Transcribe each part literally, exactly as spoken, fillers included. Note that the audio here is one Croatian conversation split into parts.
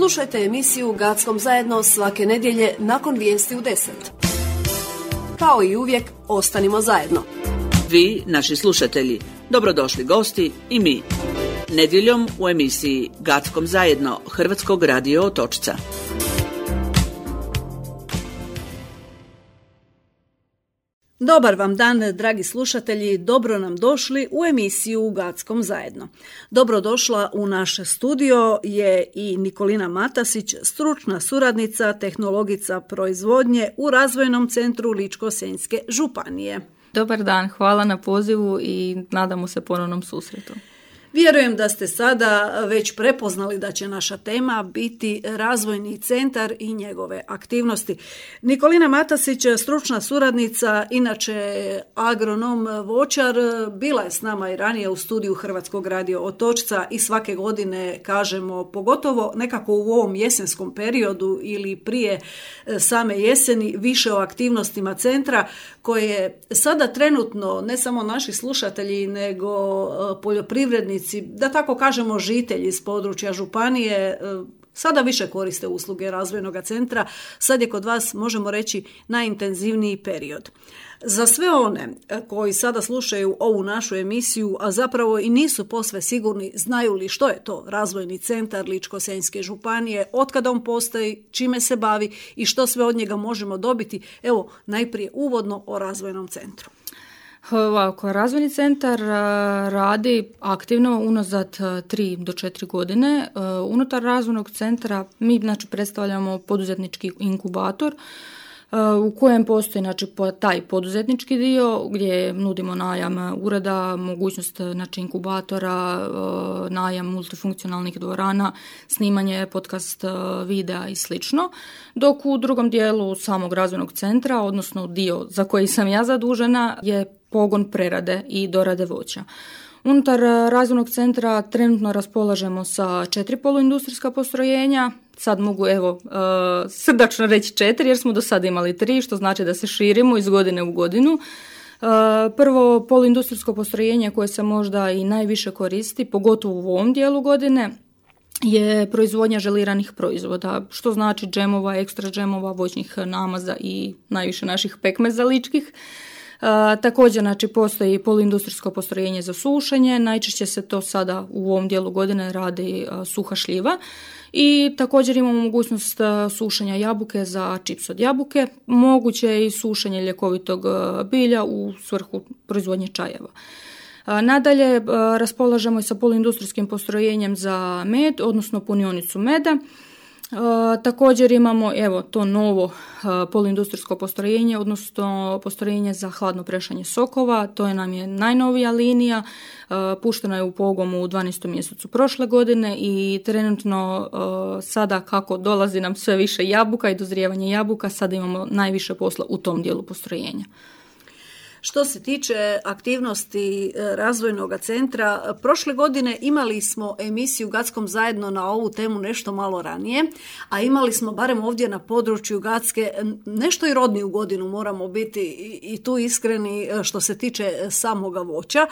Slušajte emisiju Gackom zajedno svake nedjelje nakon vijesti u deset. Kao i uvijek, ostanimo zajedno. Vi, naši slušatelji, dobrodošli gosti i mi. Nedjeljom u emisiji Gackom zajedno Hrvatskog radio Otočca. Dobar vam dan, dragi slušatelji, dobro nam došli u emisiju Gackom zajedno. Dobrodošla u naš studio je i Nikolina Matasić, stručna suradnica, tehnologica proizvodnje u Razvojnom centru Ličko-senjske županije. Dobar dan, hvala na pozivu i nadamo se ponovnom susretu. Vjerujem da ste sada već prepoznali da će naša tema biti razvojni centar i njegove aktivnosti. Nikolina Matasić, stručna suradnica, inače agronom voćar, bila je s nama i ranije u studiju Hrvatskog radio Otočca i svake godine kažemo, pogotovo nekako u ovom jesenskom periodu ili prije same jeseni, više o aktivnostima centra koje sada trenutno ne samo naši slušatelji nego poljoprivrednici, da tako kažemo žitelji iz područja županije, sada više koriste usluge razvojnog centra. Sad je kod vas, možemo reći, najintenzivniji period. Za sve one koji sada slušaju ovu našu emisiju, a zapravo i nisu posve sigurni znaju li što je to razvojni centar Ličko-senjske županije, otkada on postoji, čime se bavi i što sve od njega možemo dobiti, evo najprije uvodno o razvojnom centru. Ovako, razvojni centar radi aktivno unazad tri do četiri godine. Unutar razvojnog centra mi znači predstavljamo poduzetnički inkubator u kojem postoji znači, taj poduzetnički dio gdje nudimo najam ureda, mogućnost znači, inkubatora, najam multifunkcionalnih dvorana, snimanje podcast videa i slično. Dok u drugom dijelu samog razvojnog centra, odnosno dio za koji sam ja zadužena, je pogon prerade i dorade voća. Unutar razvojnog centra trenutno raspolažemo sa četiri poluindustrijska postrojenja. Sad mogu evo uh, srdačno reći četiri jer smo do sada imali tri, što znači da se širimo iz godine u godinu. Uh, prvo poluindustrijsko postrojenje koje se možda i najviše koristi, pogotovo u ovom dijelu godine, je proizvodnja želiranih proizvoda, što znači džemova, ekstra džemova, voćnih namaza i najviše naših pekmeza ličkih. Uh, također znači, postoji poluindustrijsko postrojenje za sušenje, najčešće se to sada u ovom dijelu godine radi uh, suha šljiva i također imamo mogućnost uh, sušenja jabuke za čips od jabuke, moguće je i sušenje ljekovitog uh, bilja u svrhu proizvodnje čajeva. Uh, nadalje uh, raspolažemo i sa poluindustrijskim postrojenjem za med, odnosno punionicu meda. Uh, također imamo evo to novo uh, poluindustrijsko postrojenje, odnosno postrojenje za hladno prešanje sokova. To je nam je najnovija linija, uh, puštena je u pogon u dvanaestom mjesecu prošle godine i trenutno uh, sada kako dolazi nam sve više jabuka i dozrijevanje jabuka, sada imamo najviše posla u tom dijelu postrojenja. Što se tiče aktivnosti razvojnog centra, prošle godine imali smo emisiju Gackom zajedno na ovu temu nešto malo ranije, a imali smo barem ovdje na području Gacke nešto i rodniju godinu, moramo biti i tu iskreni što se tiče samoga voća.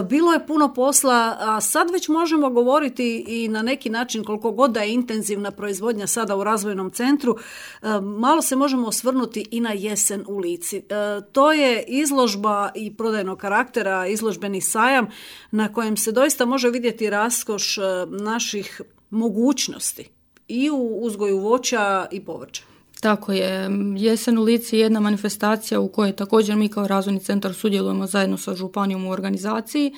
Bilo je puno posla, a sad već možemo govoriti i na neki način koliko god da je intenzivna proizvodnja sada u razvojnom centru, malo se možemo osvrnuti i na jesen u Lici. To je izložba i prodajnog karaktera, izložbeni sajam na kojem se doista može vidjeti raskoš naših mogućnosti i u uzgoju voća i povrća. Tako je. Jesen u Lici je jedna manifestacija u kojoj također mi kao razvojni centar sudjelujemo zajedno sa županijom u organizaciji.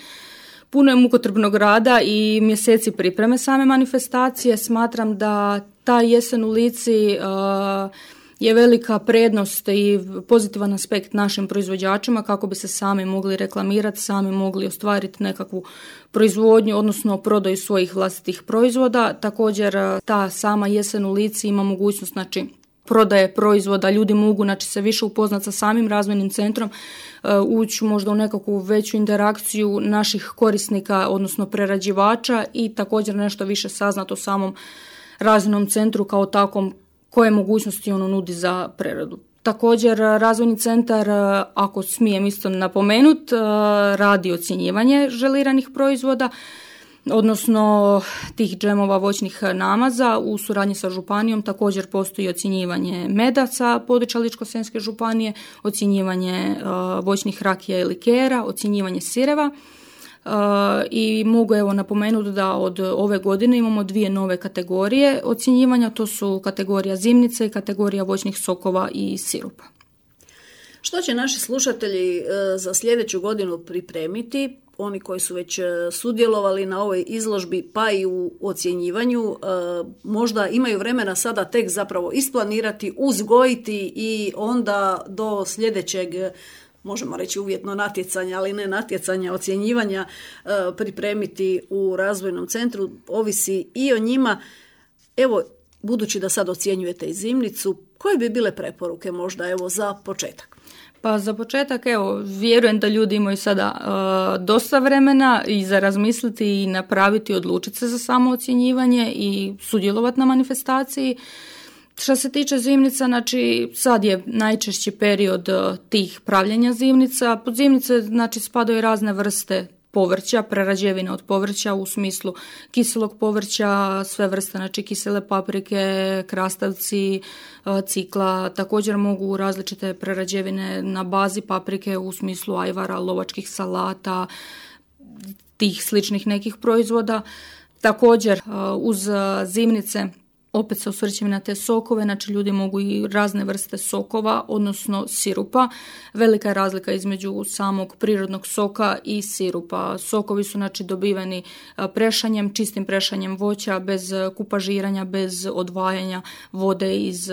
Puno je mukotrpnog rada i mjeseci pripreme same manifestacije. Smatram da ta jesen u Lici uh, je velika prednost i pozitivan aspekt našim proizvođačima kako bi se sami mogli reklamirati, sami mogli ostvariti nekakvu proizvodnju, odnosno prodaju svojih vlastitih proizvoda. Također ta sama jesen u Lici ima mogućnost znači, prodaje proizvoda, ljudi mogu znači, se više upoznati sa samim razvojnim centrom, ući možda u nekakvu veću interakciju naših korisnika, odnosno prerađivača i također nešto više saznati o samom razvojnom centru kao takvom, koje mogućnosti ono nudi za preradu. Također, razvojni centar, ako smijem isto napomenuti, radi ocjenjivanje želiranih proizvoda. odnosno tih džemova voćnih namaza. U suradnji sa županijom također postoji ocjenjivanje meda sa područja Ličko-senjske županije, ocjenjivanje uh, voćnih rakija i likera, ocjenjivanje sireva. Uh, I mogu evo napomenuti da od ove godine imamo dvije nove kategorije ocjenjivanja, to su kategorija zimnice i kategorija voćnih sokova i sirupa. Što će naši slušatelji uh, za sljedeću godinu pripremiti? Oni koji su već sudjelovali na ovoj izložbi pa i u ocjenjivanju, možda imaju vremena sada tek zapravo isplanirati, uzgojiti i onda do sljedećeg, možemo reći uvjetno natjecanja, ali ne natjecanja, ocjenjivanja, pripremiti u razvojnom centru. Ovisi i o njima. Evo, budući da sad ocjenjujete i zimnicu, koje bi bile preporuke možda evo za početak? Pa za početak, evo, vjerujem da ljudi imaju sada uh, dosta vremena i za razmisliti i napraviti, odlučiti se za samo ocjenjivanje i sudjelovati na manifestaciji. Što se tiče zimnica, znači sad je najčešći period uh, tih pravljenja zimnica. Pod zimnice znači spadaju razne vrste povrća, prerađevine od povrća u smislu kiselog povrća, sve vrste, znači kisele paprike, krastavci, cikla, također mogu različite prerađevine na bazi paprike u smislu ajvara, lovačkih salata, tih sličnih nekih proizvoda. Također uz zimnice opet se osvrćem na te sokove, znači ljudi mogu i razne vrste sokova, odnosno sirupa. Velika je razlika između samog prirodnog soka i sirupa. Sokovi su znači dobiveni prešanjem, čistim prešanjem voća, bez kupažiranja, bez odvajanja vode iz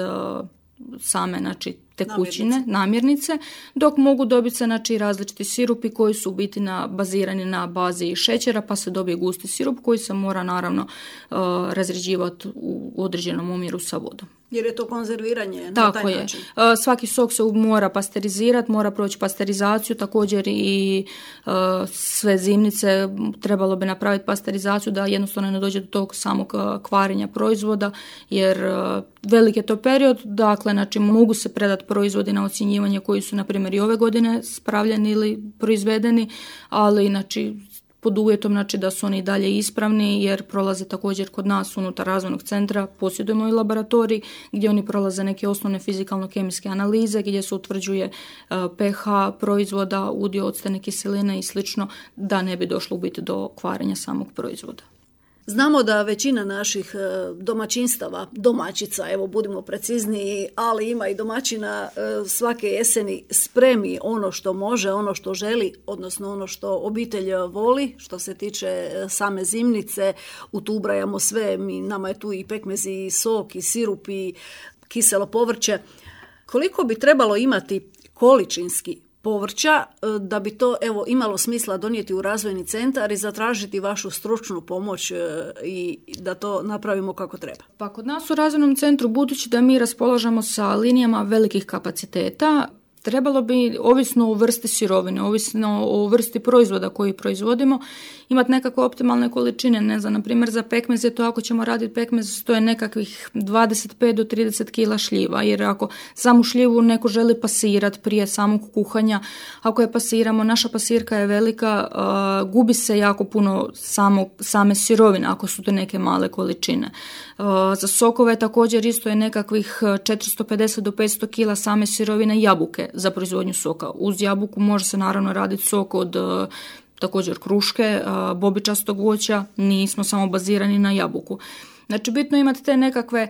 same znači tekućine, namirnice. namirnice, dok mogu dobiti se znači različiti sirupi koji su u biti na, bazirani na bazi šećera, pa se dobije gusti sirup koji se mora naravno uh, razređivati u određenom omjeru sa vodom. Jer je to konzerviranje na Tako taj je. način. Uh, svaki sok se mora pasterizirati, mora proći pasterizaciju, također i uh, sve zimnice trebalo bi napraviti pasterizaciju da jednostavno ne dođe do tog samog uh, kvarenja proizvoda, jer uh, velik je to period, dakle znači mogu se predati proizvodi na ocjenjivanje koji su na primjer i ove godine spravljeni ili proizvedeni, ali znači pod uvjetom znači, da su oni dalje ispravni jer prolaze također kod nas unutar razvojnog centra, posjedujemo i laboratorij gdje oni prolaze neke osnovne fizikalno-kemijske analize gdje se utvrđuje uh, pH proizvoda, udio octane kiseline i slično da ne bi došlo u biti do kvarenja samog proizvoda. Znamo da većina naših domaćinstava, domaćica, evo budimo precizniji, ali ima i domaćina svake jeseni spremi ono što može, ono što želi, odnosno ono što obitelj voli, što se tiče same zimnice, u tu ubrajamo sve, mi, nama je tu i pekmez i sok i sirup i kiselo povrće. Koliko bi trebalo imati količinski povrća da bi to evo imalo smisla donijeti u razvojni centar i zatražiti vašu stručnu pomoć i da to napravimo kako treba? Pa kod nas u razvojnom centru, budući da mi raspolažemo sa linijama velikih kapaciteta, trebalo bi, ovisno o vrsti sirovine, ovisno o vrsti proizvoda koji proizvodimo, imati nekakve optimalne količine. Ne znam, na primjer za pekmez je to, ako ćemo raditi pekmez, to je nekakvih dvadeset pet do trideset kila šljiva, jer ako samu šljivu neko želi pasirati prije samog kuhanja, ako je pasiramo, naša pasirka je velika, uh, gubi se jako puno samo, same sirovine, ako su to neke male količine. Uh, za sokove također isto je nekakvih četiristo pedeset do petsto kila same sirovine jabuke za proizvodnju soka. Uz jabuku može se naravno raditi sok od uh, također kruške, uh, bobičastog voća, nismo samo bazirani na jabuku. Znači bitno imati te nekakve,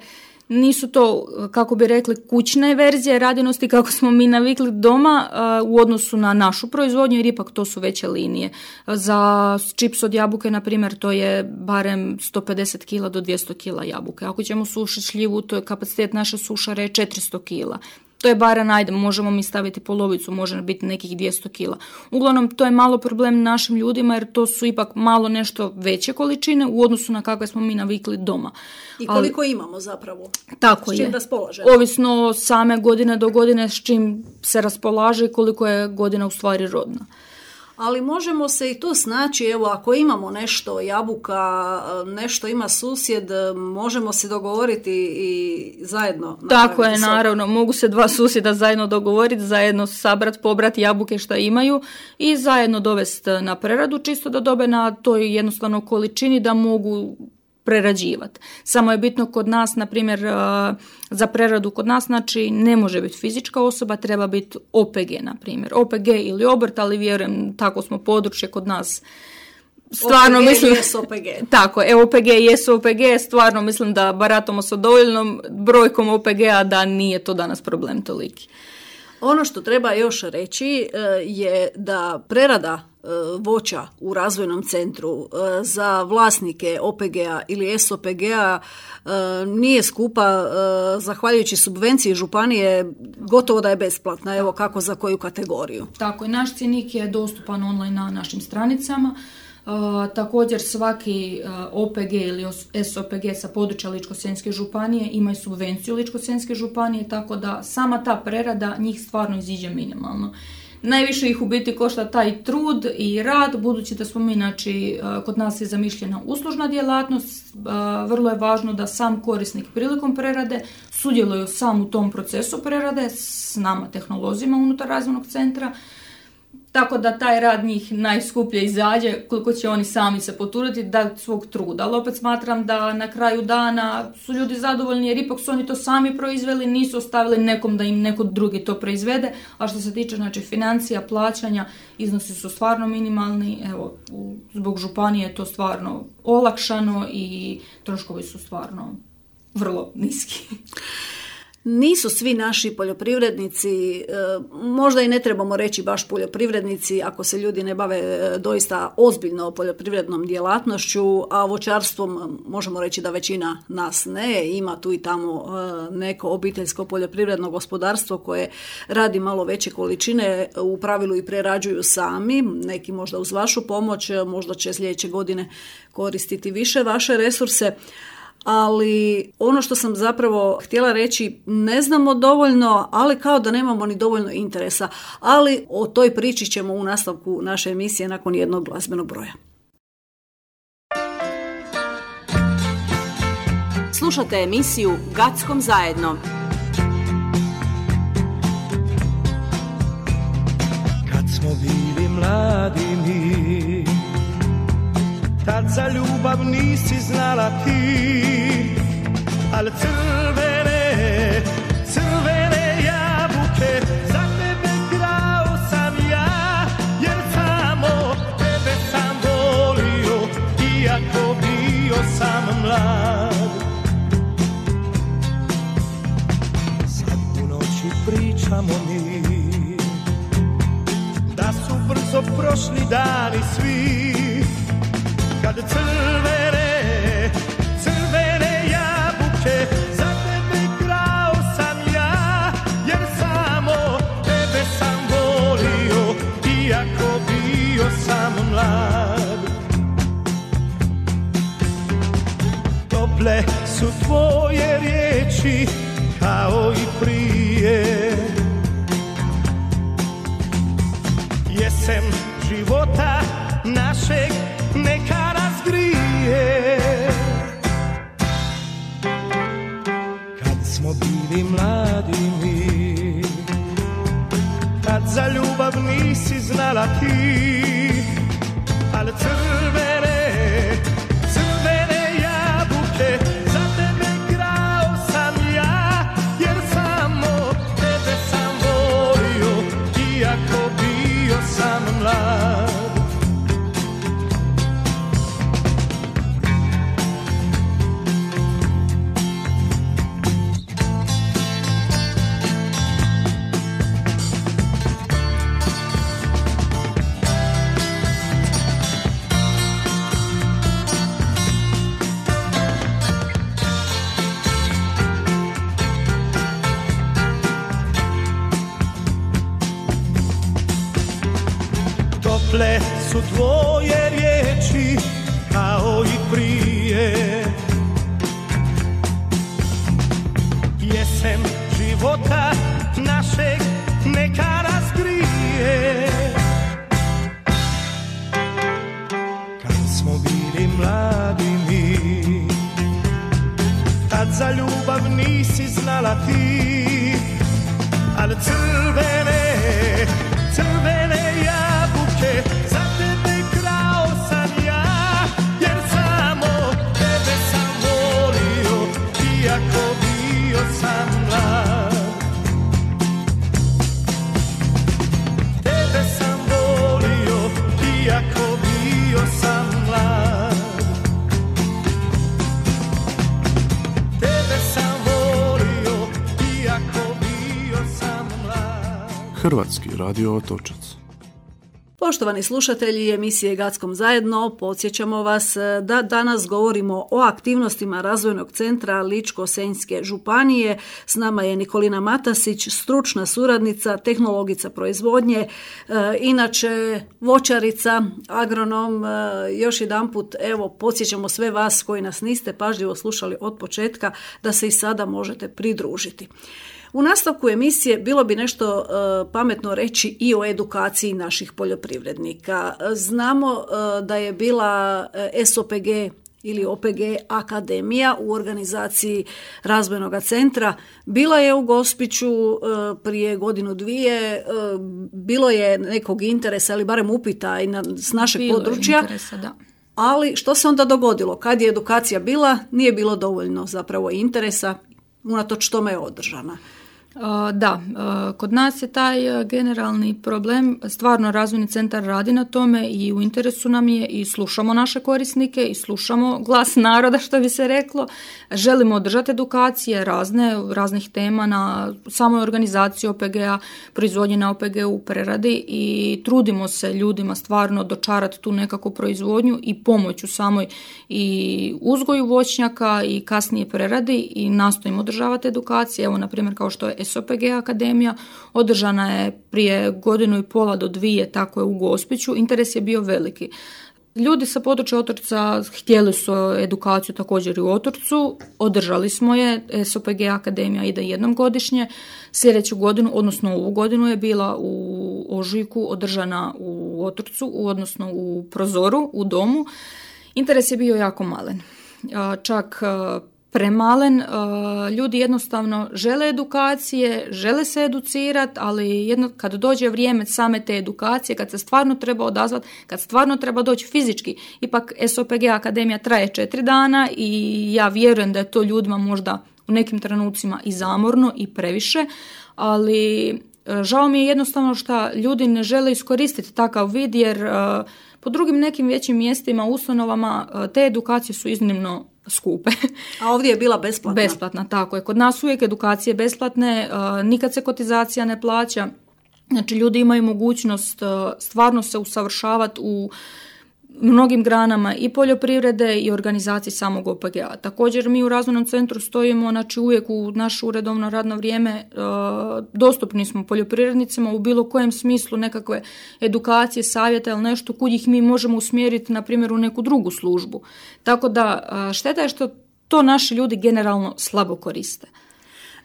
nisu to, kako bi rekli, kućne verzije radinosti kako smo mi navikli doma uh, u odnosu na našu proizvodnju, jer ipak to su veće linije. Za čips od jabuke, na primjer, to je barem sto pedeset kila do dvjesto kila jabuke. Ako ćemo sušiti šljivu, to je kapacitet naše sušare je četiristo kila. To je barem, ajde, možemo mi staviti polovicu, može biti nekih dvjesto kila. Uglavnom, to je malo problem našim ljudima jer to su ipak malo nešto veće količine u odnosu na kakve smo mi navikli doma. I koliko Ali, imamo zapravo? Tako s čim je. raspolažemo? Ovisno same godine do godine s čim se raspolaže i koliko je godina u stvari rodna. Ali možemo se i tu snaći, evo ako imamo nešto jabuka, nešto ima susjed, možemo se dogovoriti i zajedno. Tako je, naravno, mogu se dva susjeda zajedno dogovoriti, zajedno sabrat, pobrati jabuke što imaju i zajedno dovesti na preradu, čisto da dobe na toj jednostavno količini da mogu prerađivati. Samo je bitno kod nas, na primjer, za preradu kod nas, znači ne može biti fizička osoba, treba biti O P G, na primjer. O P G ili obrt, ali vjerujem, tako smo područje kod nas. Stvarno O P G mislim, jesu O P G. Tako, e, O P G jesu O P G, stvarno mislim da baratamo sa dovoljnom brojkom O P G-a da nije to danas problem toliki. Ono što treba još reći je da prerada voća u razvojnom centru za vlasnike O P G-a ili S O P G-a nije skupa, zahvaljujući subvenciji županije gotovo da je besplatna, evo kako za koju kategoriju. Tako, i naš cjenik je dostupan online na našim stranicama. Uh, također svaki uh, O P G ili S O P G sa područja Ličko-senjske županije imaju subvenciju Ličko-senjske županije, tako da sama ta prerada njih stvarno iziđe minimalno. Najviše ih u biti košta taj trud i rad, budući da smo mi, znači, uh, kod nas je zamišljena uslužna djelatnost, uh, vrlo je važno da sam korisnik prilikom prerade sudjeluju sam u tom procesu prerade s nama tehnolozima unutar razvojnog centra. Tako da taj rad njih najskuplje izađe, koliko će oni sami se potruditi da svog truda. Ali opet smatram da na kraju dana su ljudi zadovoljni jer ipak su oni to sami proizveli, nisu ostavili nekom da im neko drugi to proizvede. A što se tiče, znači, financija, plaćanja, iznosi su stvarno minimalni. Evo, zbog županije je to stvarno olakšano i troškovi su stvarno vrlo niski. Nisu svi naši poljoprivrednici, možda i ne trebamo reći baš poljoprivrednici ako se ljudi ne bave doista ozbiljno poljoprivrednom djelatnošću, a voćarstvom možemo reći da većina nas ne, ima tu i tamo neko obiteljsko poljoprivredno gospodarstvo koje radi malo veće količine, u pravilu i prerađuju sami, neki možda uz vašu pomoć, možda će sljedeće godine koristiti više vaše resurse. Ali ono što sam zapravo htjela reći, ne znamo dovoljno, ali kao da nemamo ni dovoljno interesa. Ali o toj priči ćemo u nastavku naše emisije nakon jednog glazbenog broja. Slušate emisiju Gackom zajedno. Kad smo bili mladi mi, tad za ljubav nisi znala ti, al crvene, crvene jabuke za tebe krao sam ja, jer samo tebe sam volio, iako bio sam mlad. Sad u noći pričamo mi, da su brzo prošli dani svi, kad crvene, crvene jabuke za tebe krao sam ja, jer samo tebe sam volio, iako bio sam mlad. Tople su tvoje riječi kao i prije, jesen života našeg neka razgrije. Kad smo bili mladi mi, tad za ljubav nisi znala ti, ali crvene, crvene jabuke za tebe krao sam ja, jer samo tebe sam volio, iako bio sam mlad. Tople su tvoje riječi kao i prije, jesen života našeg neka razgrije. znala ti, ali crvene, crvene jabuke za tebe krao sam ja, jer samo tebe sam volio, iako bio sam mlad. Tebe sam volio, iako bio sam mlad. Tebe sam volio, iako bio sam mlad. Hrvatski radio Otočac. Poštovani slušatelji emisije Gackom zajedno, podsjećamo vas da danas govorimo o aktivnostima Razvojnog centra Ličko-senjske županije. S nama je Nikolina Matasić, stručna suradnica, tehnologica proizvodnje, e, inače voćarica, agronom. E, još jedanput, evo, podsjećamo sve vas koji nas niste pažljivo slušali od početka da se i sada možete pridružiti. U nastavku emisije bilo bi nešto e, pametno reći i o edukaciji naših poljoprivrednika. Znamo e, da je bila S O P G ili O P G akademija u organizaciji Razvojnog centra. Bila je u Gospiću e, prije godinu dvije, e, bilo je nekog interesa ili barem upita i na, s našeg bilo područja. Interesa, da. Ali što se onda dogodilo? Kad je edukacija bila, nije bilo dovoljno zapravo interesa, unatoč tome je održana. Da, kod nas je taj generalni problem, stvarno Razvojni centar radi na tome i u interesu nam je i slušamo naše korisnike i slušamo glas naroda, što bi se reklo. Želimo održati edukacije razne, raznih tema na samoj organizaciji O P G-a, proizvodnje na O P G-u, preradi i trudimo se ljudima stvarno dočarati tu nekakvu proizvodnju i pomoć u samoj i uzgoju voćnjaka i kasnije preradi i nastojimo održavati edukacije. Evo, na primjer, kao što je S O P G akademija, održana je prije godinu i pola do dvije, tako je u Gospiću, interes je bio veliki. Ljudi sa područja Otočca htjeli su edukaciju također i u Otočcu, održali smo je, S O P G akademija ide jednom godišnje, sljedeću godinu, odnosno ovu godinu je bila u ožujku održana u Otočcu, odnosno u Prozoru, u domu. Interes je bio jako malen, čak premalen, ljudi jednostavno žele edukacije, žele se educirati, ali jedno, kad dođe vrijeme same te edukacije, kad se stvarno treba odazvati, kad stvarno treba doći fizički, ipak S O P G akademija traje četiri dana i ja vjerujem da je to ljudima možda u nekim trenucima i zamorno i previše, ali žao mi je jednostavno što ljudi ne žele iskoristiti takav vid, jer po drugim nekim većim mjestima, ustanovama, te edukacije su iznimno skupe. A ovdje je bila besplatna? Besplatna, tako je. Kod nas uvijek edukacije besplatne, nikad se kotizacija ne plaća. Znači, ljudi imaju mogućnost stvarno se usavršavati u mnogim granama i poljoprivrede i organizaciji samog O P G-a. Također mi u Razvojnom centru stojimo, znači uvijek u naše uredovno radno vrijeme e, dostupni smo poljoprivrednicima u bilo kojem smislu nekakve edukacije, savjeta ili nešto kud ih mi možemo usmjeriti na primjer u neku drugu službu. Tako da šteta je što to naši ljudi generalno slabo koriste.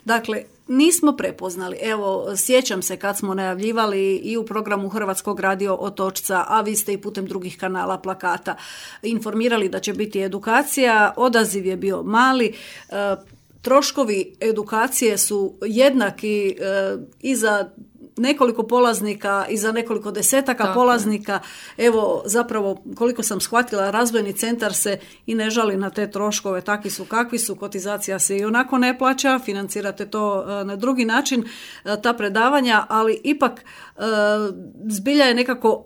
Dakle, nismo prepoznali. Evo, sjećam se kad smo najavljivali i u programu Hrvatskog radio Otočca, a vi ste i putem drugih kanala, plakata informirali da će biti edukacija. Odaziv je bio mali. E, troškovi edukacije su jednaki e, i za nekoliko polaznika i za nekoliko desetaka Tako. polaznika. Evo, zapravo, koliko sam shvatila, Razvojni centar se i ne žali na te troškove, takvi su kakvi su, kotizacija se i onako ne plaća, financirate to na drugi način, ta predavanja, ali ipak zbilja je nekako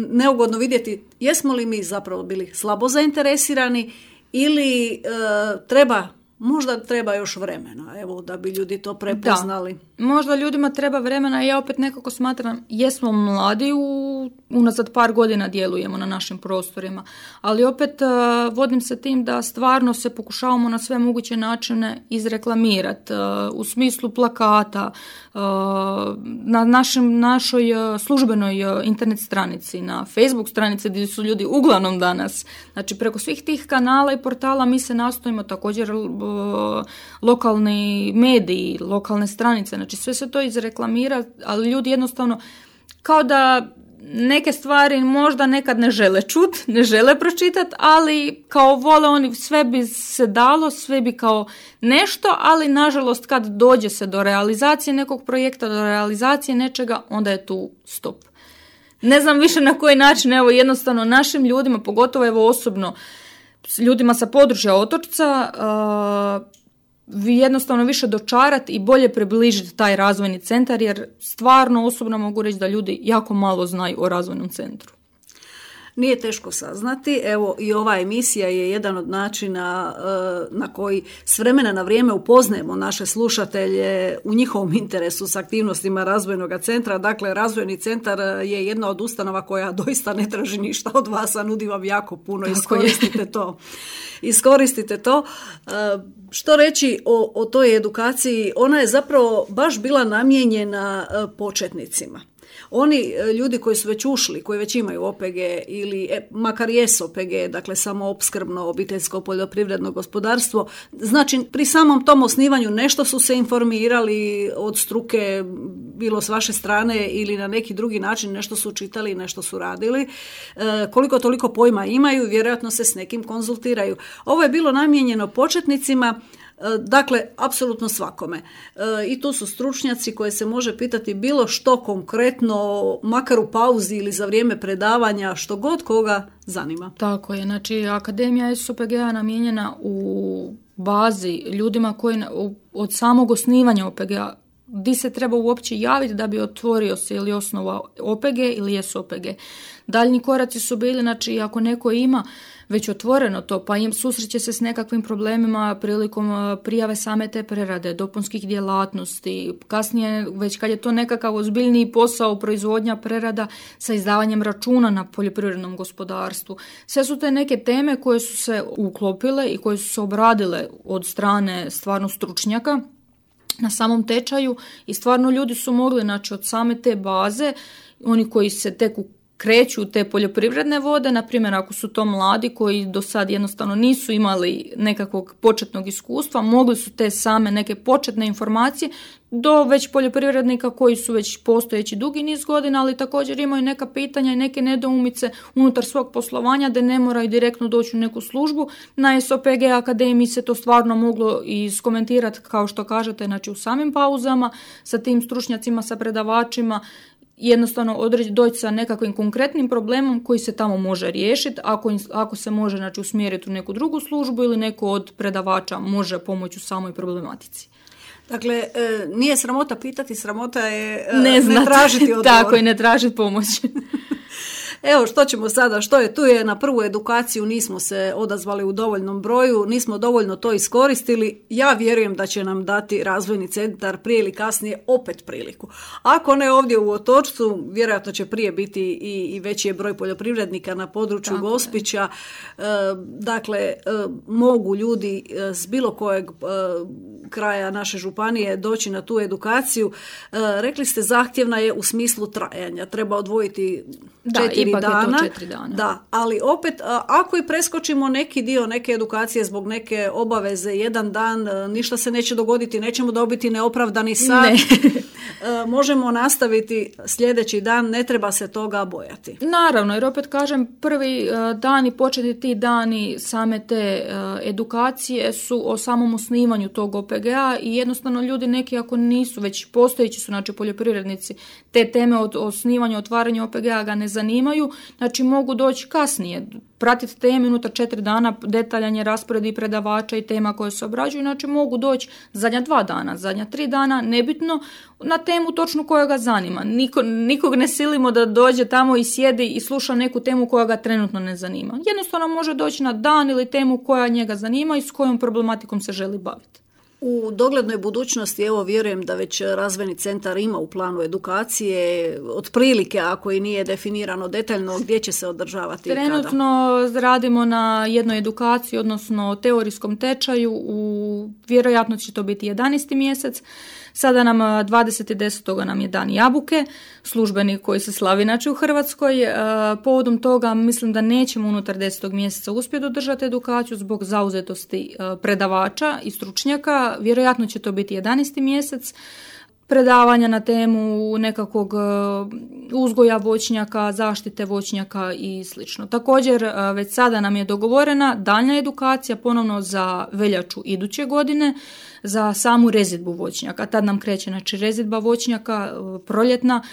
neugodno vidjeti jesmo li mi zapravo bili slabo zainteresirani ili treba Možda treba još vremena, evo, da bi ljudi to prepoznali. Da, možda ljudima treba vremena i ja opet nekako smatram, jesmo mladi, u, unazad par godina djelujemo na našim prostorima, ali opet uh, vodim se tim da stvarno se pokušavamo na sve moguće načine izreklamirati, uh, u smislu plakata, uh, na našem, našoj uh, službenoj uh, internet stranici, na Facebook stranici gdje su ljudi uglavnom danas. Znači, preko svih tih kanala i portala mi se nastojimo također lokalni mediji, lokalne stranice, znači sve se to izreklamira, ali ljudi jednostavno kao da neke stvari možda nekad ne žele čut, ne žele pročitati, ali kao vole oni, sve bi se dalo, sve bi kao nešto, ali nažalost kad dođe se do realizacije nekog projekta, do realizacije nečega, onda je tu stop. Ne znam više na koji način, evo jednostavno našim ljudima, pogotovo evo osobno, ljudima sa područja Otočca, uh, vi jednostavno više dočarati i bolje približiti taj razvojni centar, jer stvarno osobno mogu reći da ljudi jako malo znaju o razvojnom centru. Nije teško saznati, evo i ova emisija je jedan od načina na koji s vremena na vrijeme upoznajemo naše slušatelje u njihovom interesu s aktivnostima razvojnog centra. Dakle, razvojni centar je jedna od ustanova koja doista ne traži ništa od vas, a nudi vam jako puno. Tako iskoristite je. to. Iskoristite to. Što reći o, o toj edukaciji? Ona je zapravo baš bila namijenjena početnicima. Oni ljudi koji su već ušli, koji već imaju O P G ili e, makar jesu O P G, dakle samoopskrbno obiteljsko poljoprivredno gospodarstvo, znači pri samom tom osnivanju nešto su se informirali od struke, bilo s vaše strane ili na neki drugi način, nešto su čitali, nešto su radili. E, koliko toliko pojma imaju, vjerojatno se s nekim konzultiraju. Ovo je bilo namijenjeno početnicima. Dakle, apsolutno svakome. E, I tu su stručnjaci koje se može pitati bilo što konkretno, makar u pauzi ili za vrijeme predavanja, što god koga zanima. Tako je, znači Akademija S O P G-a namijenjena u bazi ljudima koji od samog osnivanja O P G-a di se treba uopće javiti da bi otvorio se ili osnovao O P G ili S O P G. Daljnji koraci su bili, znači ako neko ima već otvoreno to, pa im susreće se s nekakvim problemima prilikom prijave same te prerade, dopunskih djelatnosti, kasnije već kad je to nekakav ozbiljniji posao, proizvodnja, prerada sa izdavanjem računa na poljoprivrednom gospodarstvu. Sve su te neke teme koje su se uklopile i koje su se obradile od strane stvarno stručnjaka na samom tečaju i stvarno ljudi su mogli, znači od same te baze, oni koji se tek kreću te poljoprivredne vode, na primjer ako su to mladi koji do sad jednostavno nisu imali nekakvog početnog iskustva, mogli su te same neke početne informacije do već poljoprivrednika koji su već postojeći dugi niz godina, ali također imaju neka pitanja i neke nedoumice unutar svog poslovanja da ne moraju direktno doći u neku službu. Na S O P G Akademiji se to stvarno moglo iskomentirati, kao što kažete, znači u samim pauzama sa tim stručnjacima, sa predavačima, jednostavno odreći, doći sa nekakvim konkretnim problemom koji se tamo može riješiti, ako, ako se može, znači, usmjeriti u neku drugu službu ili neko od predavača može pomoći u samoj problematici. Dakle, nije sramota pitati, sramota je ne, ne tražiti odgovor. Tako i ne tražiti pomoć. Evo, što ćemo sada, što je tu je na prvu edukaciju, nismo se odazvali u dovoljnom broju, nismo dovoljno to iskoristili. Ja vjerujem da će nam dati razvojni centar prije ili kasnije opet priliku. Ako ne ovdje u Otočcu, vjerojatno će prije biti i, i veći je broj poljoprivrednika na području Tako Gospića. E, dakle, e, mogu ljudi s bilo kojeg e, kraja naše županije doći na tu edukaciju. E, rekli ste, zahtjevna je u smislu trajanja. Treba odvojiti četiri da, dana. četiri dana. Da, ali opet ako i preskočimo neki dio neke edukacije zbog neke obaveze, jedan dan, ništa se neće dogoditi, nećemo dobiti neopravdani sat. Ne. Možemo nastaviti sljedeći dan, ne treba se toga bojati. Naravno, jer opet kažem, prvi dani, početi ti dani same te edukacije su o samom osnivanju tog O P G-a i jednostavno ljudi neki ako nisu, već postojeći su, znači poljoprivrednici, te teme od osnivanja, otvaranja O P G-a ga ne zanimaju, znači mogu doći kasnije, pratiti teme unutar četiri dana, detaljan je raspored i predavača i tema koje se obrađuju, znači mogu doći zadnja dva dana, zadnja tri dana, nebitno, na temu točno koja ga zanima. Niko, nikog ne silimo da dođe tamo i sjedi i sluša neku temu koja ga trenutno ne zanima. Jednostavno može doći na dan ili temu koja njega zanima i s kojom problematikom se želi baviti. U doglednoj budućnosti, evo vjerujem da već razvojni centar ima u planu edukacije, otprilike ako i nije definirano detaljno gdje će se održavati. Trenutno kada? Radimo na jednoj edukaciji, odnosno teorijskom tečaju, u, vjerojatno će to biti jedanaesti mjesec. Sada nam dvadesetog desetog nam je dan jabuke, službeni koji se slavi inače u Hrvatskoj. E, povodom toga mislim da nećemo unutar desetog mjeseca uspjeti održati edukaciju zbog zauzetosti e, predavača i stručnjaka. Vjerojatno će to biti jedanaesti mjesec. predavanja na temu nekakvog uzgoja voćnjaka, zaštite voćnjaka i slično. Također, već sada nam je dogovorena daljnja edukacija ponovno za veljaču iduće godine za samu rezidbu voćnjaka. Tad nam kreće znači rezidba voćnjaka proljetna.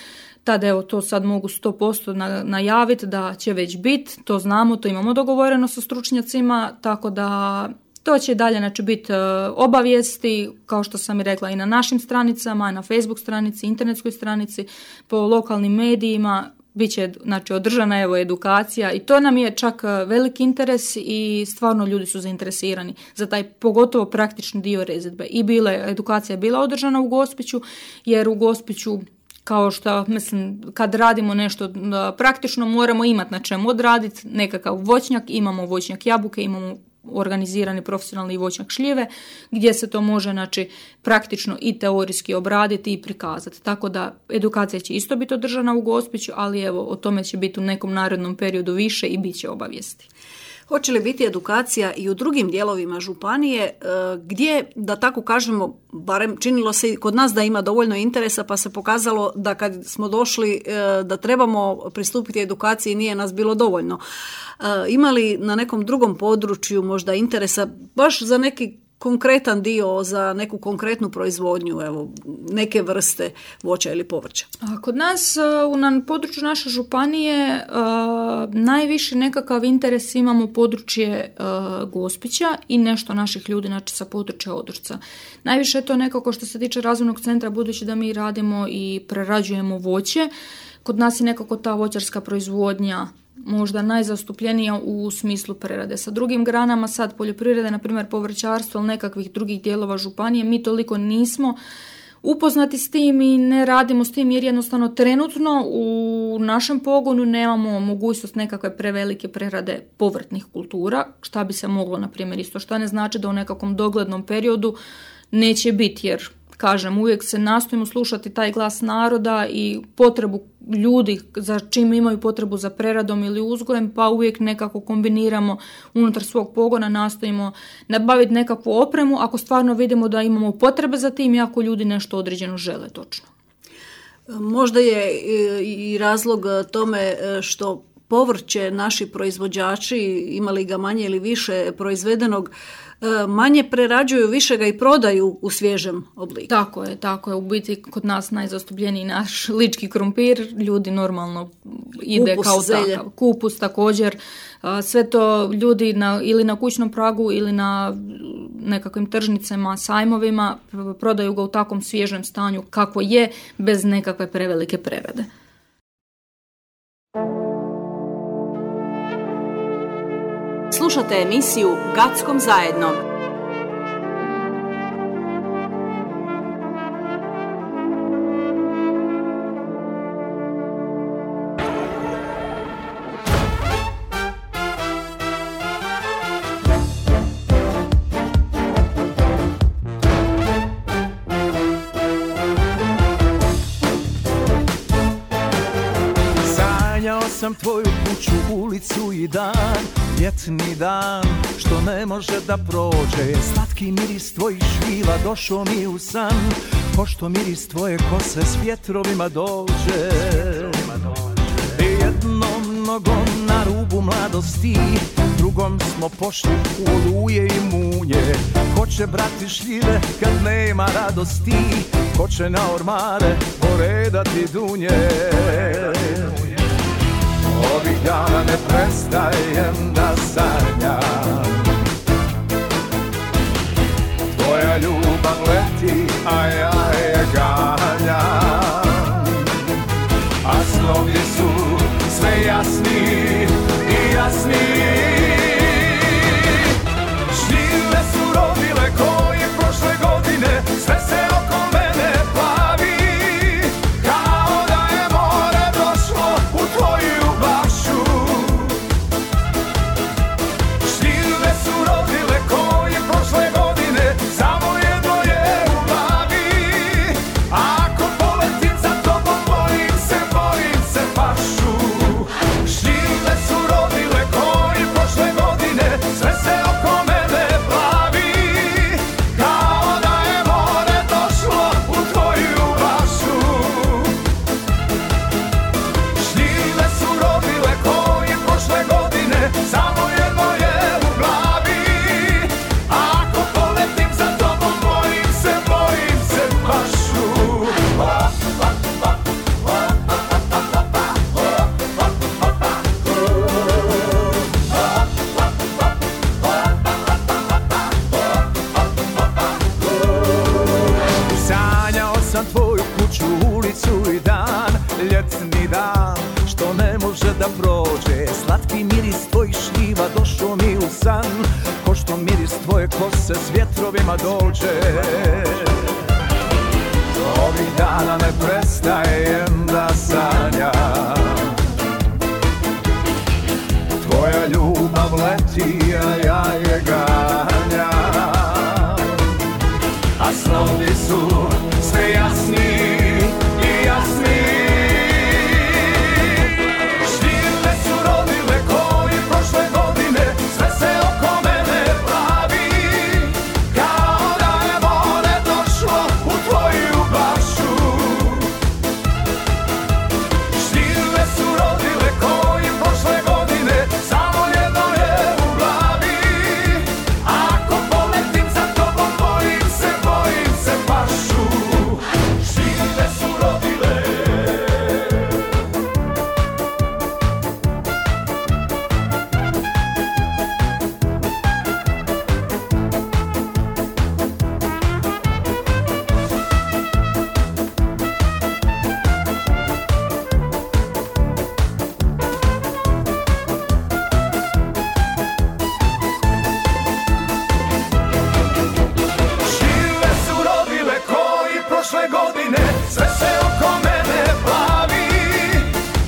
Tada evo to sad mogu sto posto najaviti da će već biti, to znamo, to imamo dogovoreno sa stručnjacima, tako da to će dalje znači, biti obavijesti, kao što sam i rekla, i na našim stranicama, na Facebook stranici, internetskoj stranici, po lokalnim medijima, bit će znači, održana evo, edukacija i to nam je čak veliki interes i stvarno ljudi su zainteresirani za taj pogotovo praktični dio rezidbe. I bile, edukacija je bila održana u Gospiću, jer u Gospiću kao što, mislim, kad radimo nešto praktično moramo imati na čemu odraditi nekakav voćnjak, imamo voćnjak jabuke, imamo organizirani profesionalni voćnjak šljive, gdje se to može znači, praktično i teorijski obraditi i prikazati. Tako da edukacija će isto biti održana u Gospiću, ali evo, o tome će biti u nekom narednom periodu više i bit će obavijesti. Hoće li biti edukacija i u drugim dijelovima županije gdje, da tako kažemo, barem činilo se kod nas da ima dovoljno interesa, pa se pokazalo da kad smo došli da trebamo pristupiti edukaciji nije nas bilo dovoljno. Ima li na nekom drugom području možda interesa baš za neki konkretan dio, za neku konkretnu proizvodnju, evo, neke vrste voća ili povrća? Kod nas na području naše županije najviše nekakav interes imamo područje Gospića i nešto naših ljudi znači, sa područja Odrca. Najviše je to nekako što se tiče razvojnog centra, budući da mi radimo i prerađujemo voće. Kod nas je nekako ta voćarska proizvodnja možda najzastupljenija u smislu prerade. Sa drugim granama sad poljoprivrede, na primjer povrćarstvo ili nekakvih drugih dijelova županije, mi toliko nismo upoznati s tim i ne radimo s tim jer jednostavno trenutno u našem pogonu nemamo mogućnost nekakve prevelike prerade povrtnih kultura, šta bi se moglo, na primjer, isto što ne znači da u nekakvom doglednom periodu neće biti, jer kažem, uvijek se nastojimo slušati taj glas naroda i potrebu ljudi za čim imaju potrebu za preradom ili uzgojem, pa uvijek nekako kombiniramo unutar svog pogona, nastojimo nabaviti nekakvu opremu ako stvarno vidimo da imamo potrebe za tim i ako ljudi nešto određeno žele točno. Možda je i razlog tome što povrće naši proizvođači, imali ga manje ili više proizvedenog, manje prerađuju, više ga i prodaju u svježem obliku. Tako je, tako je. U biti kod nas najzastupljeniji naš lički krompir, ljudi normalno ide kupus, kao zelje. Takav. Kupus također. Sve to ljudi na, ili na kućnom pragu ili na nekakvim tržnicama, sajmovima prodaju ga u takvom svježem stanju kako je, bez nekakve prevelike prerade. Slušate emisiju Gackom zajedno. Sanjao sam tvoju kuću, ulicu i dan, ljetni dan što ne može da prođe. Slatki miris tvojih švila došao mi u san, pošto miris tvoje kose s vjetrovima dođe. Jednom nogom na rubu mladosti, drugom smo pošli u oluje i munje. Ko će brati šljive kad nema radosti, ko će na ormare poredati dunje. Ovih dana ne prestajem da sanjam, tvoja ljubav leti, a ja je ganjam. A snovi su sve jasniji i jasniji. Šljive su rodile koje prošle godine, sve se oko mene plavi, kao da je more došlo u tvoju bašu. Šljive su rodile koje prošle godine, samo jedno je u glavi. Ako poletim za tobom, bojim se, bojim se pašu. Šljive se s vjetrovima dođe. Ovih dana ne prestajem da sanjam, tvoja ljubav leti, a ja je ganjam. A snovi su sve jasni i jasni. Štirne su rodile koji prošle godine, sve se oko mene pravi, kao da je more došlo u tvoju bašu. Štirne su rodile koji prošle godine, samo jedno je u glavi. Ako poletim za tobom, bojim se, bojim se pašu. Štirne su rodile. Štirne su rodile koji prošle godine, sve se oko mene plavi,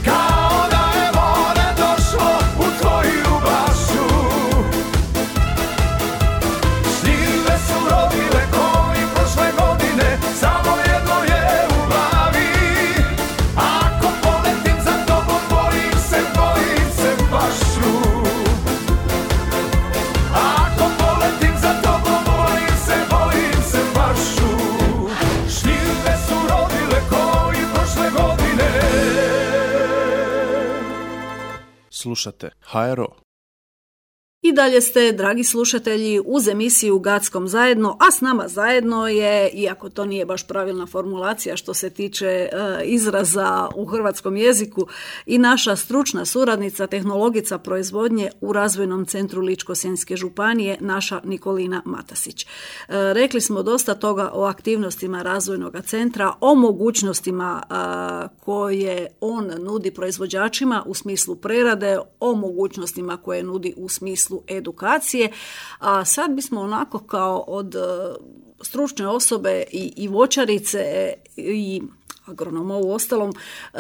kao da je more došlo u tvoju bašu. Štirne su rodile koji prošle godine, samo jedno je u glavi. Ako poletim za tobom, bojim se, bojim se pašu. Ako poletim za tobom, bojim se, bojim se pašu. Štirne su rodile koji prošle godine. Slušate H R O. I dalje ste, dragi slušatelji, uz emisiju Gackom zajedno, a s nama zajedno je, iako to nije baš pravilna formulacija što se tiče e, izraza u hrvatskom jeziku, i naša stručna suradnica, tehnologica proizvodnje u Razvojnom centru Ličko-senjske županije, naša Nikolina Matasić. E, rekli smo dosta toga o aktivnostima Razvojnog centra, o mogućnostima a, koje on nudi proizvođačima u smislu prerade, o mogućnostima koje nudi u smislu edukacije, a sad bismo onako kao od e, stručne osobe i, i voćarice i agronoma u ostalom e,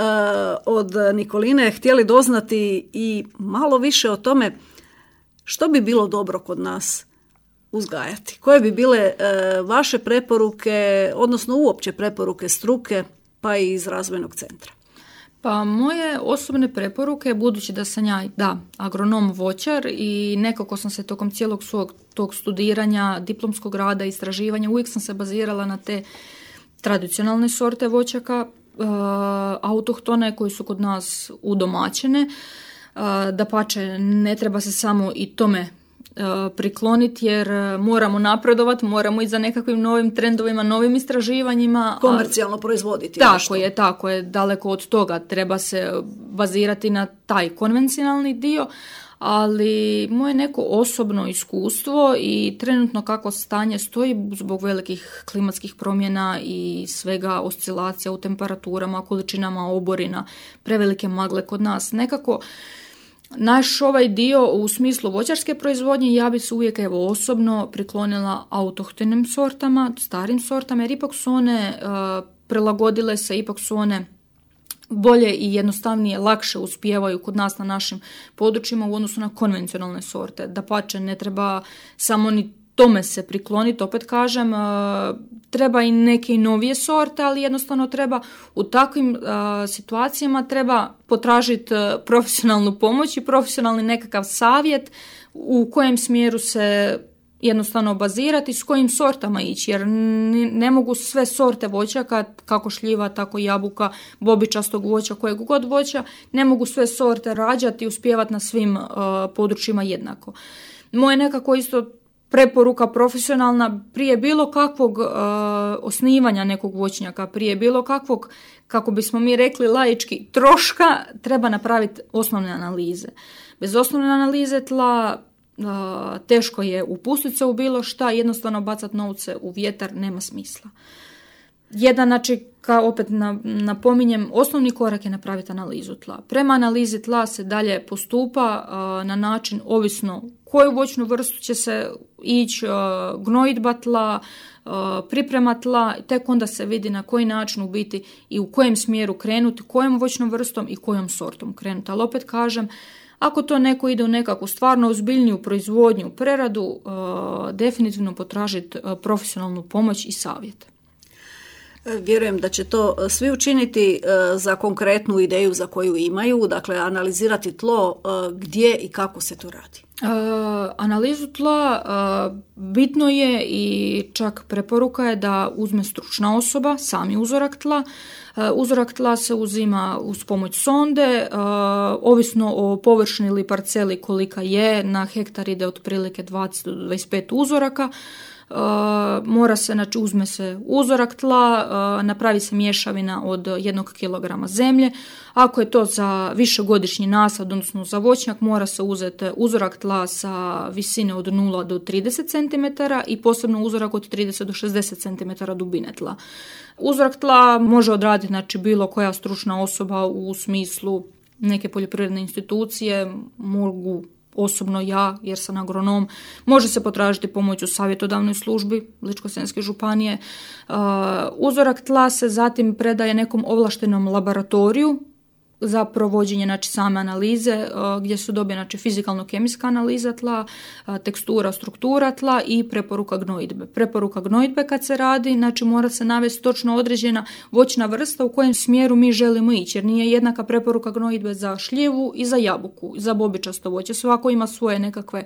od Nikoline htjeli doznati i malo više o tome što bi bilo dobro kod nas uzgajati. Koje bi bile e, vaše preporuke, odnosno uopće preporuke struke, pa i iz Razvojnog centra? Pa moje osobne preporuke, budući da sam ja, da, agronom voćar i nekako sam se tokom cijelog svog tog studiranja, diplomskog rada, istraživanja, uvijek sam se bazirala na te tradicionalne sorte voćaka, uh, autohtone koji su kod nas udomaćene. Uh, dapače, ne treba se samo i tome prikloniti jer moramo napredovati, moramo ići za nekakvim novim trendovima, novim istraživanjima. Komercijalno proizvoditi. Tako nešto. je, tako je, daleko od toga. Treba se bazirati na taj konvencionalni dio, ali moje neko osobno iskustvo i trenutno kako stanje stoji zbog velikih klimatskih promjena i svega oscilacija u temperaturama, količinama oborina, prevelike magle kod nas, nekako naš ovaj dio u smislu voćarske proizvodnje ja bi se uvijek evo osobno priklonila autohtonim sortama, starim sortama, jer ipak su one uh, prilagodile se, ipak su one bolje i jednostavnije, lakše uspijevaju kod nas na našim područjima u odnosu na konvencionalne sorte. Dapače, ne treba samo ni tome se prikloniti, opet kažem, treba i neke novije sorte, ali jednostavno treba u takvim situacijama treba potražiti profesionalnu pomoć i profesionalni nekakav savjet u kojem smjeru se jednostavno bazirati, s kojim sortama ići, jer ne mogu sve sorte voćaka, kako šljiva, tako jabuka, bobičastog voća, kojeg god voća, ne mogu sve sorte rađati i uspijevati na svim uh, područjima jednako. Moje nekako isto preporuka profesionalna prije bilo kakvog uh, osnivanja nekog voćnjaka, prije bilo kakvog, kako bismo mi rekli laički, troška, treba napraviti osnovne analize. Bez osnovne analize tla uh, teško je upustiti se u bilo šta, jednostavno bacati novce u vjetar nema smisla. Jedan, znači, kao opet napominjem, osnovni korak je napraviti analizu tla. Prema analizi tla se dalje postupa uh, na način ovisno koju voćnu vrstu će se ići uh, gnojidba tla, uh, priprema tla, tek onda se vidi na koji način u biti i u kojem smjeru krenuti, kojom voćnom vrstom i kojom sortom krenuti. Ali opet kažem, ako to neko ide u nekakvu stvarno ozbiljniju proizvodnju, preradu, uh, definitivno potražiti uh, profesionalnu pomoć i savjet. Vjerujem da će to svi učiniti za konkretnu ideju za koju imaju, dakle analizirati tlo gdje i kako se to radi. Uh, analizu tla uh, bitno je i čak preporuka je da uzme stručna osoba, sami uzorak tla. Uh, uzorak tla se uzima uz pomoć sonde, uh, ovisno o površini ili parceli kolika je, na hektar ide otprilike dvadeset do dvadeset pet uzoraka. Uh, mora se, znači uzme se uzorak tla, uh, napravi se mješavina od jednog kilograma zemlje. Ako je to za višegodišnji nasad, odnosno za voćnjak, mora se uzeti uzorak tla sa visine od nula do trideset centimetara i posebno uzorak od trideset do šezdeset centimetara dubine tla. Uzorak tla može odraditi, znači, bilo koja stručna osoba u smislu neke poljoprivredne institucije, mogu osobno ja, jer sam agronom, može se potražiti pomoć u savjetodavnoj službi Ličko-senjske županije. Uh, uzorak tla se zatim predaje nekom ovlaštenom laboratoriju za provođenje, znači, same analize, uh, gdje su dobije, znači, fizikalno-kemijska analiza tla, uh, tekstura, struktura tla i preporuka gnojidbe. Preporuka gnojidbe kad se radi, znači, mora se navesti točno određena voćna vrsta u kojem smjeru mi želimo ići, jer nije jednaka preporuka gnojidbe za šljivu i za jabuku, za bobičasto voće. Svako ima svoje nekakve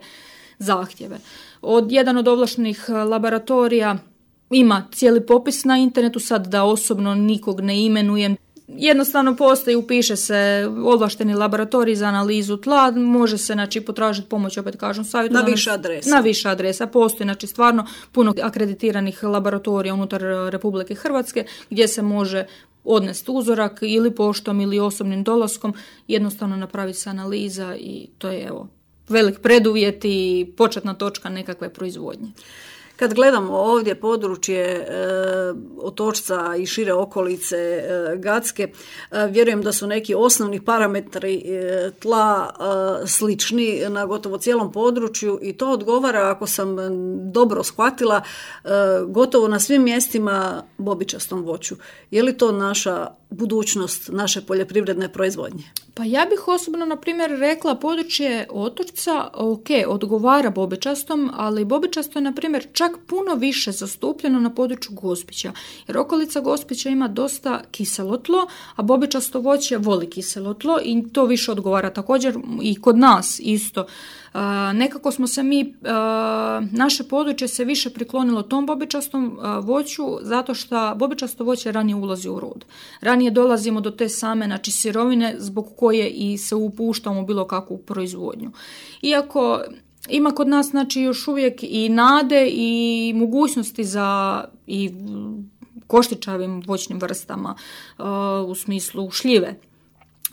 zahtjeve. Od jedan od ovlaštenih laboratorija ima cijeli popis na internetu, sad da osobno nikog ne imenujem. Jednostavno postoji, upiše se ovlašteni laboratorij za analizu tla, može se, znači, potražiti pomoć, opet kažem, savjetu. Na više adresa. Na više adresa. Postoji, znači, stvarno puno akreditiranih laboratorija unutar Republike Hrvatske gdje se može odnesti uzorak ili poštom ili osobnim dolaskom, jednostavno napravi se analiza i to je, evo, velik preduvjet i početna točka nekakve proizvodnje. Kad gledamo ovdje područje e, Otočca i šire okolice e, Gacke, e, vjerujem da su neki osnovni parametri e, tla e, slični na gotovo cijelom području i to odgovara, ako sam dobro shvatila, e, gotovo na svim mjestima bobičastom voću. Je li to naša budućnost naše poljoprivredne proizvodnje? Pa ja bih osobno, na primjer, rekla područje Otočca, ok, odgovara bobičastom, ali bobičasto je, na primjer, čak puno više zastupljeno na području Gospića, jer okolica Gospića ima dosta kiselo tlo, a bobičasto voće voli kiselo tlo i to više odgovara. Također i kod nas isto. Uh, nekako smo se mi, uh, naše područje se više priklonilo tom bobičastom uh, voću, zato što bobičasto voće ranije ulazi u rod. Ranije dolazimo do te same, znači, sirovine zbog koje i se upuštamo u bilo kakvu proizvodnju. Iako ima kod nas, znači, još uvijek i nade i mogućnosti za i koštičavim voćnim vrstama, uh, u smislu šljive,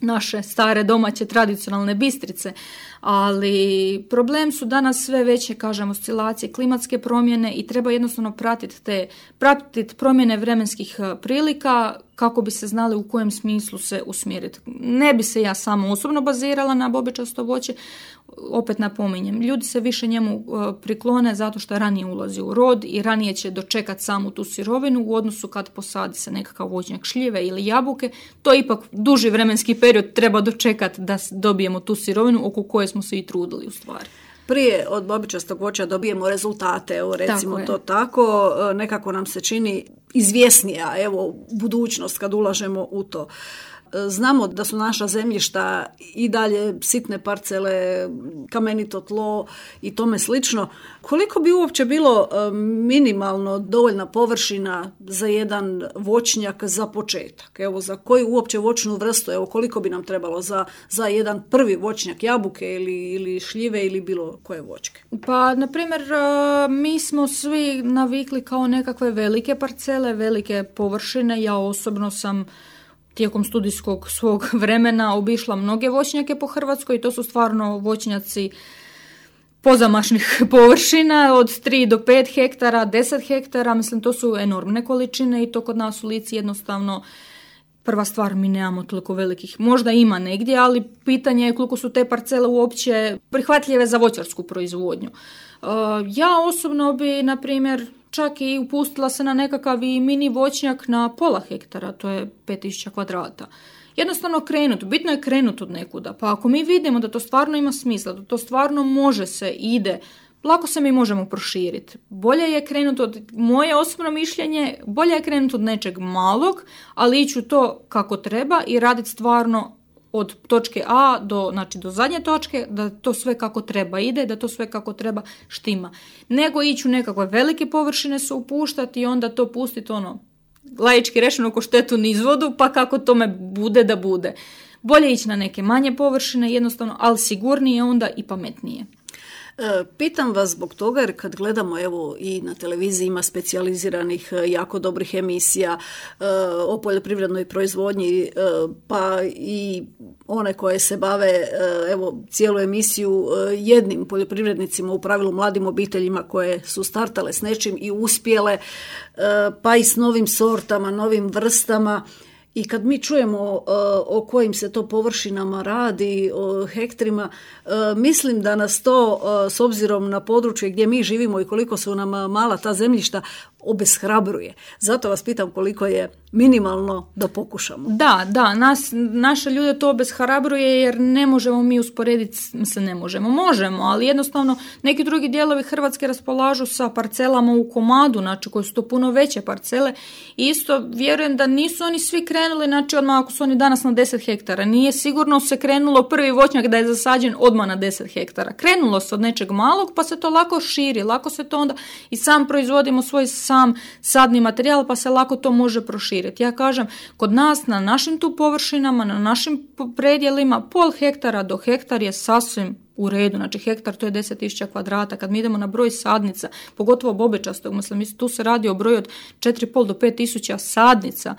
naše stare domaće tradicionalne bistrice, ali problem su danas sve veće, kažem, oscilacije, klimatske promjene i treba jednostavno pratiti te, pratiti promjene vremenskih prilika kako bi se znali u kojem smislu se usmjeriti. Ne bi se ja samo osobno bazirala na bobičasto voće, opet napominjem, ljudi se više njemu priklone zato što ranije ulazi u rod i ranije će dočekati samu tu sirovinu u odnosu kad posadi se nekakav voćnjak šljive ili jabuke. To ipak duži vremenski period treba dočekati da dobijemo tu sirovinu oko koje smo se i trudili u stvari. Prije od bobičastog voća dobijemo rezultate, evo recimo tako to tako, nekako nam se čini izvjesnija, evo, budućnost kad ulažemo u to. Znamo da su naša zemljišta i dalje sitne parcele, kamenito tlo i tome slično. Koliko bi uopće bilo minimalno dovoljna površina za jedan voćnjak za početak? Evo, za koju uopće voćnu vrstu, evo, koliko bi nam trebalo za, za jedan prvi voćnjak jabuke ili, ili šljive ili bilo koje voćke? Pa, na primjer, mi smo svi navikli kao nekakve velike parcele, velike površine. Ja osobno sam tijekom studijskog svog vremena obišla mnoge voćnjake po Hrvatskoj i to su stvarno voćnjaci pozamašnih površina od tri do pet hektara, deset hektara, mislim, to su enormne količine i to kod nas u Lici jednostavno prva stvar, mi nemamo toliko velikih, možda ima negdje, ali pitanje je koliko su te parcele uopće prihvatljive za voćarsku proizvodnju. Ja osobno bi, na primjer, čak i upustila se na nekakav i mini voćnjak na pola hektara, to je pet tisuća kvadrata. Jednostavno krenuti, bitno je krenuti od nekuda, pa ako mi vidimo da to stvarno ima smisla, da to stvarno može se, ide, lako se mi možemo proširiti. Bolje je krenuti od, moje osobno mišljenje, bolje je krenuti od nečeg malog, ali ići u to kako treba i raditi stvarno od točke A do, znači, do zadnje točke, da to sve kako treba ide, da to sve kako treba štima. Nego ići u nekakve velike površine se upuštati i onda to pustiti ono, laički rečeno ko štetu niz vodu, pa kako tome bude da bude. Bolje ići na neke manje površine, jednostavno, ali sigurnije onda i pametnije. Pitam vas zbog toga jer kad gledamo, evo i na televiziji ima specijaliziranih jako dobrih emisija o poljoprivrednoj proizvodnji, pa i one koje se bave, evo, cijelu emisiju jednim poljoprivrednicima, u pravilu mladim obiteljima koje su startale s nečim i uspjele, pa i s novim sortama, novim vrstama. I kad mi čujemo uh, o kojim se to površinama radi, o hektarima, uh, mislim da nas to, uh, s obzirom na područje gdje mi živimo i koliko su nam mala ta zemljišta, obeshrabruje. Zato vas pitam koliko je minimalno da pokušamo. Da, da, nas, naše ljude to obeshrabruje jer ne možemo mi usporediti, se ne možemo, možemo, ali jednostavno neki drugi dijelovi Hrvatske raspolažu sa parcelama u komadu, znači koji su to puno veće parcele i isto vjerujem da nisu oni svi krenuli, znači odmah ako su oni danas na deset hektara, nije sigurno se krenulo prvi voćnjak da je zasađen odmah na deset hektara. Krenulo se od nečeg malog pa se to lako širi, lako se to onda i sam proizvodimo svoj sam sadni materijal pa se lako to može proširiti. Ja kažem, kod nas na našim tu površinama, na našim predjelima, pol hektara do hektar je sasvim u redu. Znači hektar to je deset tisuća kvadrata. Kad mi idemo na broj sadnica, pogotovo bobečastog, mislim, tu se radi o broju od četiri i pol do pet tisuća sadnica.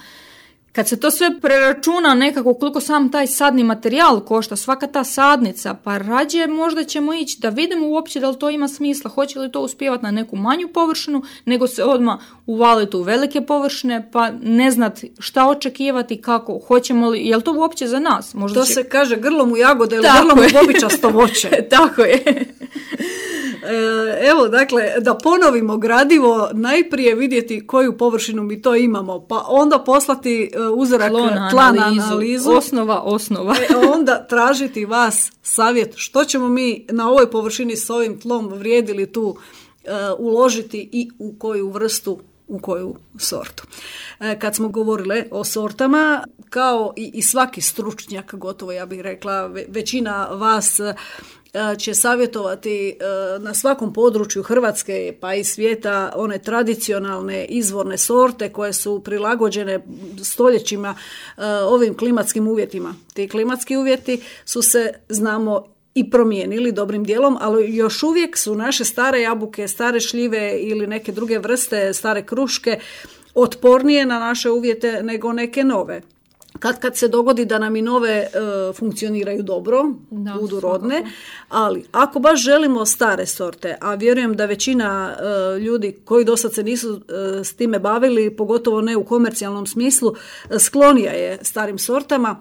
Kad se to sve preračuna nekako koliko sam taj sadni materijal košta, svaka ta sadnica, pa rađe možda ćemo ići da vidimo uopće da li to ima smisla, hoće li to uspjevati na neku manju površinu, nego se odmah uvaliti u velike površine, pa ne znati šta očekivati, kako, hoćemo li, je li to uopće za nas? Možda to će... se kaže grlom u jagode ili grlom u bobičasto voće. Tako je. Evo, dakle, da ponovimo gradivo, najprije vidjeti koju površinu mi to imamo, pa onda poslati uzorak Tlo tla na analizu. Osnova, osnova. E, onda tražiti vas savjet što ćemo mi na ovoj površini s ovim tlom vrijedili tu uh, uložiti i u koju vrstu, u koju sortu. E, kad smo govorile o sortama, kao i, i svaki stručnjak, gotovo ja bih rekla, većina vas će savjetovati na svakom području Hrvatske pa i svijeta one tradicionalne izvorne sorte koje su prilagođene stoljećima ovim klimatskim uvjetima. Ti klimatski uvjeti su se, znamo, i promijenili dobrim dijelom, ali još uvijek su naše stare jabuke, stare šljive ili neke druge vrste, stare kruške otpornije na naše uvjete nego neke nove. Kad kad se dogodi da nam i nove e, funkcioniraju dobro, da, budu rodne, svakako. Ali ako baš želimo stare sorte, a vjerujem da većina e, ljudi koji do sad se nisu e, s time bavili, pogotovo ne u komercijalnom smislu, e, sklonija je starim sortama,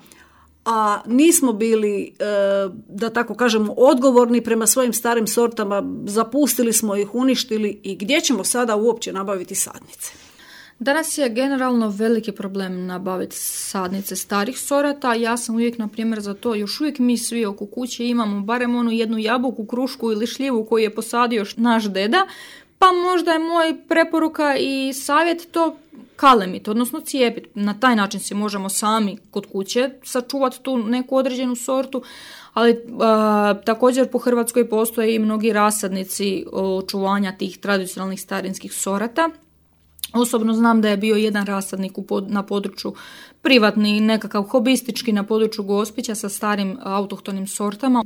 a nismo bili, e, da tako kažemo, odgovorni prema svojim starim sortama, zapustili smo ih, uništili i gdje ćemo sada uopće nabaviti sadnice? Danas je generalno veliki problem nabaviti sadnice starih sorata. Ja sam uvijek, na primjer, za to, još uvijek mi svi oko kuće imamo barem onu jednu jabuku, krušku ili šljivu koju je posadio naš deda, pa možda je moj preporuka i savjet to kalemit, odnosno cijepiti. Na taj način si možemo sami kod kuće sačuvati tu neku određenu sortu, ali a, također po Hrvatskoj postoje i mnogi rasadnici očuvanja tih tradicionalnih starinskih sorata. Osobno znam da je bio jedan rasadnik na području privatni, nekakav hobistički na području Gospića sa starim autohtonim sortama.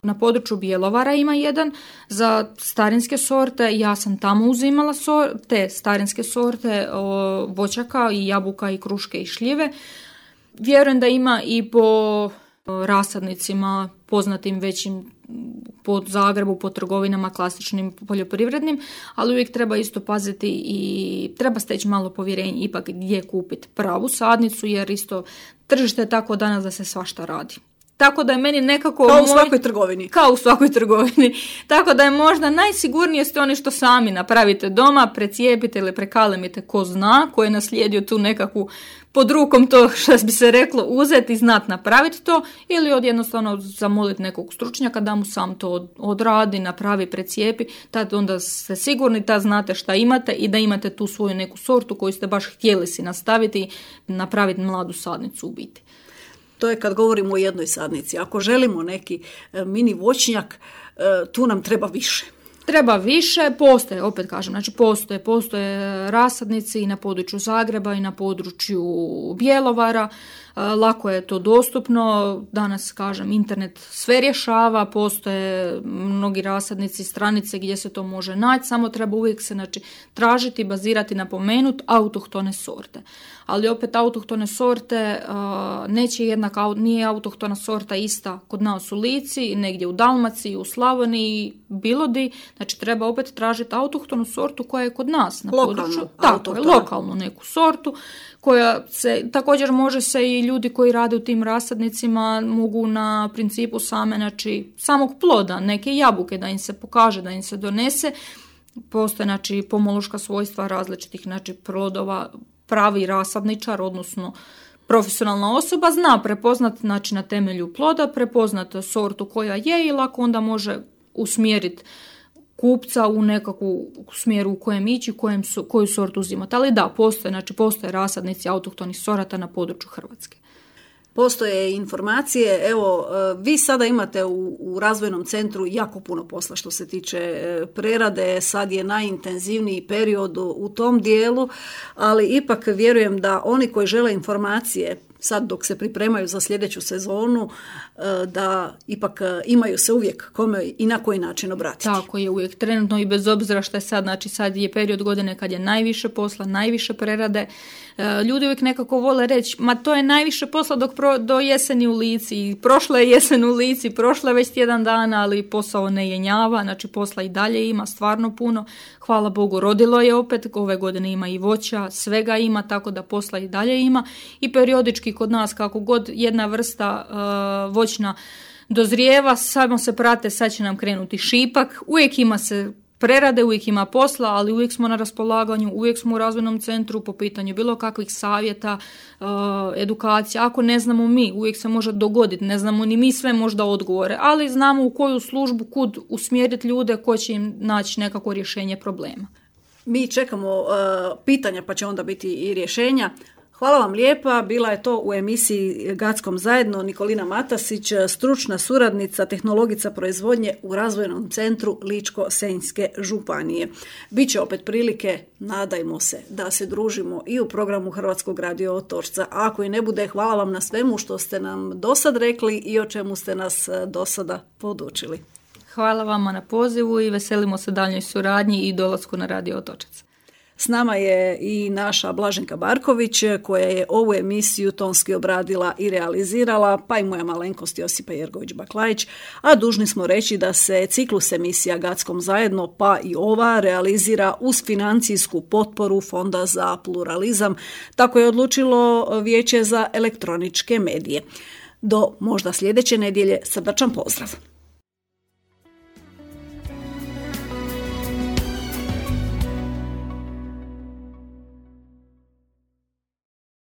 Na području Bjelovara ima jedan za starinske sorte. Ja sam tamo uzimala sor, te starinske sorte o, voćaka i jabuka i kruške i šljive. Vjerujem da ima i po rasadnicima poznatim većim po Zagrebu, po trgovinama klasičnim poljoprivrednim, ali uvijek treba isto paziti i treba steći malo povjerenje ipak gdje kupiti pravu sadnicu, jer isto tržište je tako danas da se svašta radi. Tako da je meni nekako... Kao u moj... svakoj trgovini. Kao u svakoj trgovini. Tako da je možda najsigurnije ste oni što sami napravite doma, precijepite ili prekalemite ko zna, ko je naslijedio tu nekakvu pod rukom to što bi se reklo uzeti i znat napraviti to, ili od jednostavno zamoliti nekog stručnjaka da mu sam to odradi, napravi, precijepi, tad onda ste sigurni, tad znate šta imate i da imate tu svoju neku sortu koju ste baš htjeli si nastaviti i napraviti mladu sadnicu u biti. To je kad govorimo o jednoj sadnici. Ako želimo neki mini voćnjak, tu nam treba više. Treba više, postoje, opet kažem, znači postoje, postoje rasadnici i na području Zagreba i na području Bjelovara, lako je to dostupno, danas kažem internet sve rješava, postoje mnogi rasadnici, stranice gdje se to može naći, samo treba uvijek se znači, tražiti, bazirati, napomenuti autohtone sorte. Ali opet autohtone sorte neće jednak, nije autohtona sorta ista kod nas u Lici, negdje u Dalmaciji, u Slavoniji, bilo di, znači treba opet tražiti autohtonu sortu koja je kod nas na lokalnu, području. Tako je, lokalnu neku sortu koja se, također može se i ljudi koji rade u tim rasadnicima mogu na principu same, znači samog ploda, neke jabuke da im se pokaže, da im se donese. Postoje znači pomološka svojstva različitih znači plodova, pravi rasadničar, odnosno profesionalna osoba zna prepoznat znači na temelju ploda, prepoznat sortu koja je i lako onda može usmjeriti kupca u nekakvu smjeru u kojem ići, kojem su, koju sortu uzimati. Ali da, postoje, znači postoje rasadnici autohtonih sorata na području Hrvatske. Postoje informacije, evo, vi sada imate u, u razvojnom centru jako puno posla što se tiče prerade, sad je najintenzivniji period u tom dijelu, ali ipak vjerujem da oni koji žele informacije, sad dok se pripremaju za sljedeću sezonu, da ipak imaju se uvijek kome i na koji način obratiti. Tako je, uvijek trenutno i bez obzira što je sad, znači sad je period godine kad je najviše posla, najviše prerade. Ljudi uvijek nekako vole reći, ma to je najviše posla dok pro, do jeseni u Lici. Prošla je jesen u Lici, prošla je već tjedan dana, ali posao ne jenjava, znači posla i dalje ima stvarno puno. Hvala Bogu, rodilo je opet, ove godine ima i voća, svega ima, tako da posla i dalje ima. I periodički kod nas kako god jedna vrsta uh, voćna dozrijeva, samo se prate, sad će nam krenuti šipak, uvijek ima se prerade, uvijek ima posla, ali uvijek smo na raspolaganju, uvijek smo u razvojnom centru po pitanju bilo kakvih savjeta, uh, edukacija. Ako ne znamo mi, uvijek se može dogoditi, ne znamo ni mi sve možda odgovore, ali znamo u koju službu, kud usmjeriti ljude koji će im naći nekako rješenje problema. Mi čekamo uh, pitanja pa će onda biti i rješenja. Hvala vam lijepa, bila je to u emisiji Gackom zajedno Nikolina Matasić, stručna suradnica, tehnologica proizvodnje u razvojnom centru Ličko-senjske županije. Biće opet prilike, nadajmo se, da se družimo i u programu Hrvatskog radio Otočca. A ako i ne bude, hvala vam na svemu što ste nam dosad rekli i o čemu ste nas dosada podučili. Hvala vama na pozivu i veselimo se daljnjoj suradnji i dolasku na radio Otočac. S nama je i naša Blaženka Barković koja je ovu emisiju tonski obradila i realizirala, pa i moja malenkost Josipa Jergović-Baklajić, a dužni smo reći da se ciklus emisija Gackom zajedno, pa i ova, realizira uz financijsku potporu Fonda za pluralizam. Tako je odlučilo Vijeće za elektroničke medije. Do možda sljedeće nedjelje, srdačan pozdrav.